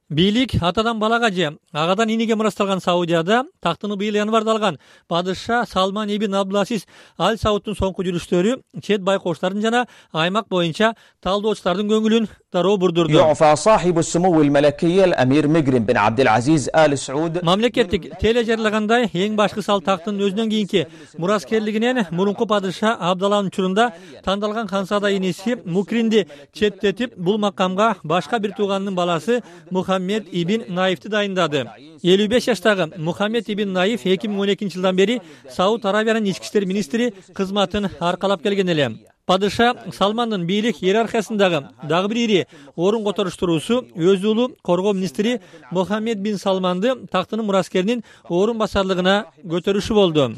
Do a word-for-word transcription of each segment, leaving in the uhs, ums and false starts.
Бийлик атадан балага же агадан иниге мурасталган Саудияда тактыны быйыл январда алган падыша Салман ибн Абдулазиз Аль Саудтун соңку жүрүштөрү чет байкоштардын жана аймак боюнча талдоочулардын көңүлүн дароо бурдурду. Мамлекеттик теле жарыягандай эң башкы сал тактын өзүнөн кийинки мураскерлигинен мурунку падыша Абдалланын учурунда тандалган ханзада иниси Мукринди четтетип, бул макамга башка бир тууганынын баласы Мухаммед ибн Наифти дайындады. элүү беш жаштагы Мухаммед ибн Наиф эки миң он экинчи жылдан бери Сауд Арабиянын ички иштер министри кызматын аркалап келген эле. Падыша Салмандын бийлик иерархиясындагы дагы бир ири орун которуштуруусу өз уулу коргоо министри Мухаммед бин Салманды тактынын мураскеринин орун басарлыгына көтөрүшү болду.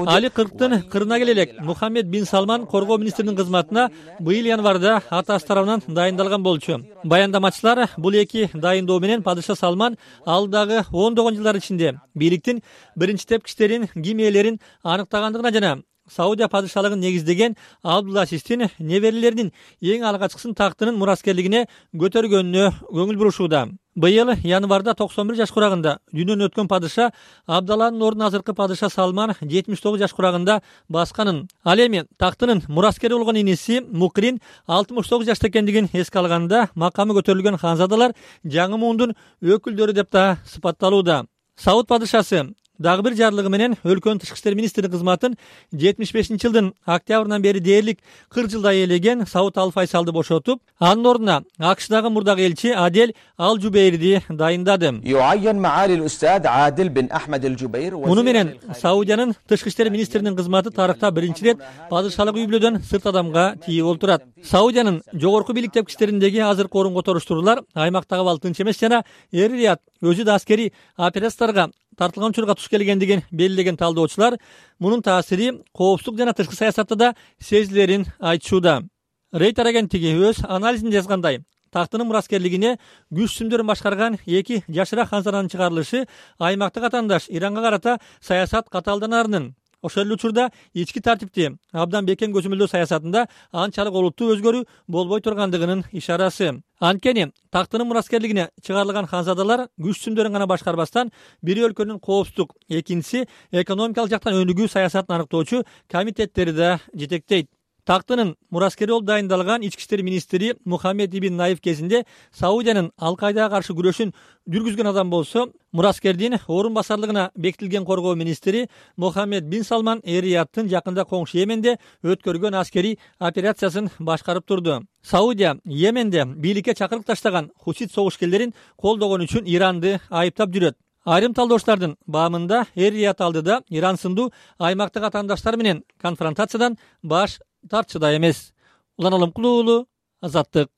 Али кырктын кырына келе элек Мухаммед бин Салман коргоо министринин кызматына быйыл январда атасы тарабынан дайындалган болчу. Баяндамачылар бул эки дайындоо менен падыша Салман алдагы ондогон жылдар ичинде бийликтин биринчи тепкичтерин, ким ээлерин аныктагандыгына жана Саудия падышалыгын негиздеген Абдулазиздин неберелеринин эң алгачкысын тактынын мураскерлигине көтөргөнүнө көңүл бурушууда. Быйыл январда токсон бир жаш курагында дүйнөдөн өткөн падыша Абдалланын ордун азыркы падыша Салман жетимиш тогуз жаш курагында басканын. Ал эми тактынын мураскери болгон иниси Мукрин алтымыш тогуз жашта экендигин эске алганда макамы көтөрүлгөн ханзадалар жаңы муундун өкүлдөрү деп да сыпатталууда. Сауд падышасы дагы бир жарлыгы менен өлкөнүн тышкы иштер министринин кызматын жетимиш бешинчи жылдын октябрынан бери дээрлик кырк жылдай ээлеген Сауд Ал Файсалды бошотуп, анын ордуна АКШдагы мурдагы элчи Адель Ал Жубейрди дайындады. Муну менен Саудиянын тышкы иштер министринин кызматы тарыхта биринчи ирет падышалык үй бүлөдөн сырт адамга тийип олтурат. Саудиянын жогорку бийлик тепкичтериндеги азыркы орун которуштуруулар аймактагы абал тынч эмес жана Эр-Рият өзү да аскерий операцияларга тартылган учурга туш келгендигин белгилеген талдоочулар мунун таасири коопсуздук жана тышкы саясатта да сезилерин айтышууда. Рейтер агенттиги өз анализинде жазгандай, тактынын мураскерлигине күч сүмдөрүн башкарган эки жашыраак ханзаданын чыгарылышы аймактык атаандаш Иранга карата саясат катаалданарынын, ошол эле учурда ички тартипти абдан бекем көзөмөлдөө саясатында анчалык олуттуу өзгөрүү болбой тургандыгынын ишарасы. Анткени тактынын мураскерлигине чыгарылган ханзадалар күч сүмдөрүн гана башкарбастан бир өлкөнүн коопсуздук, экинчиси экономикалык жактан өнүгүү саясатын аныктоочу комитеттери да жетектейт. Тактынын мураскери болуп дайындалган ички иштер министри Мухаммед ибн Наиф кезинде Саудиянын Ал-Кайдага каршы күрөшүн жүргүзгөн адам болсо, мураскердин орун басарлыгына бекитилген коргоо министри Мухаммед бин Салман Эр-Рияттын жакында коңшу Йеменде өткөргөн аскерий операциясын башкарып турду. Саудия Йеменде бийликке чакырык таштаган хусит согушкерлерин колдогон үчүн Иранды айыптап жүрөт. Айрым талдоочлардын баамында Эр-Рият алдыда Иран сындуу аймактык атаандаштар менен конфронтациядан баш тартчыда эмес. Улан Алымкулуу, Азаттык.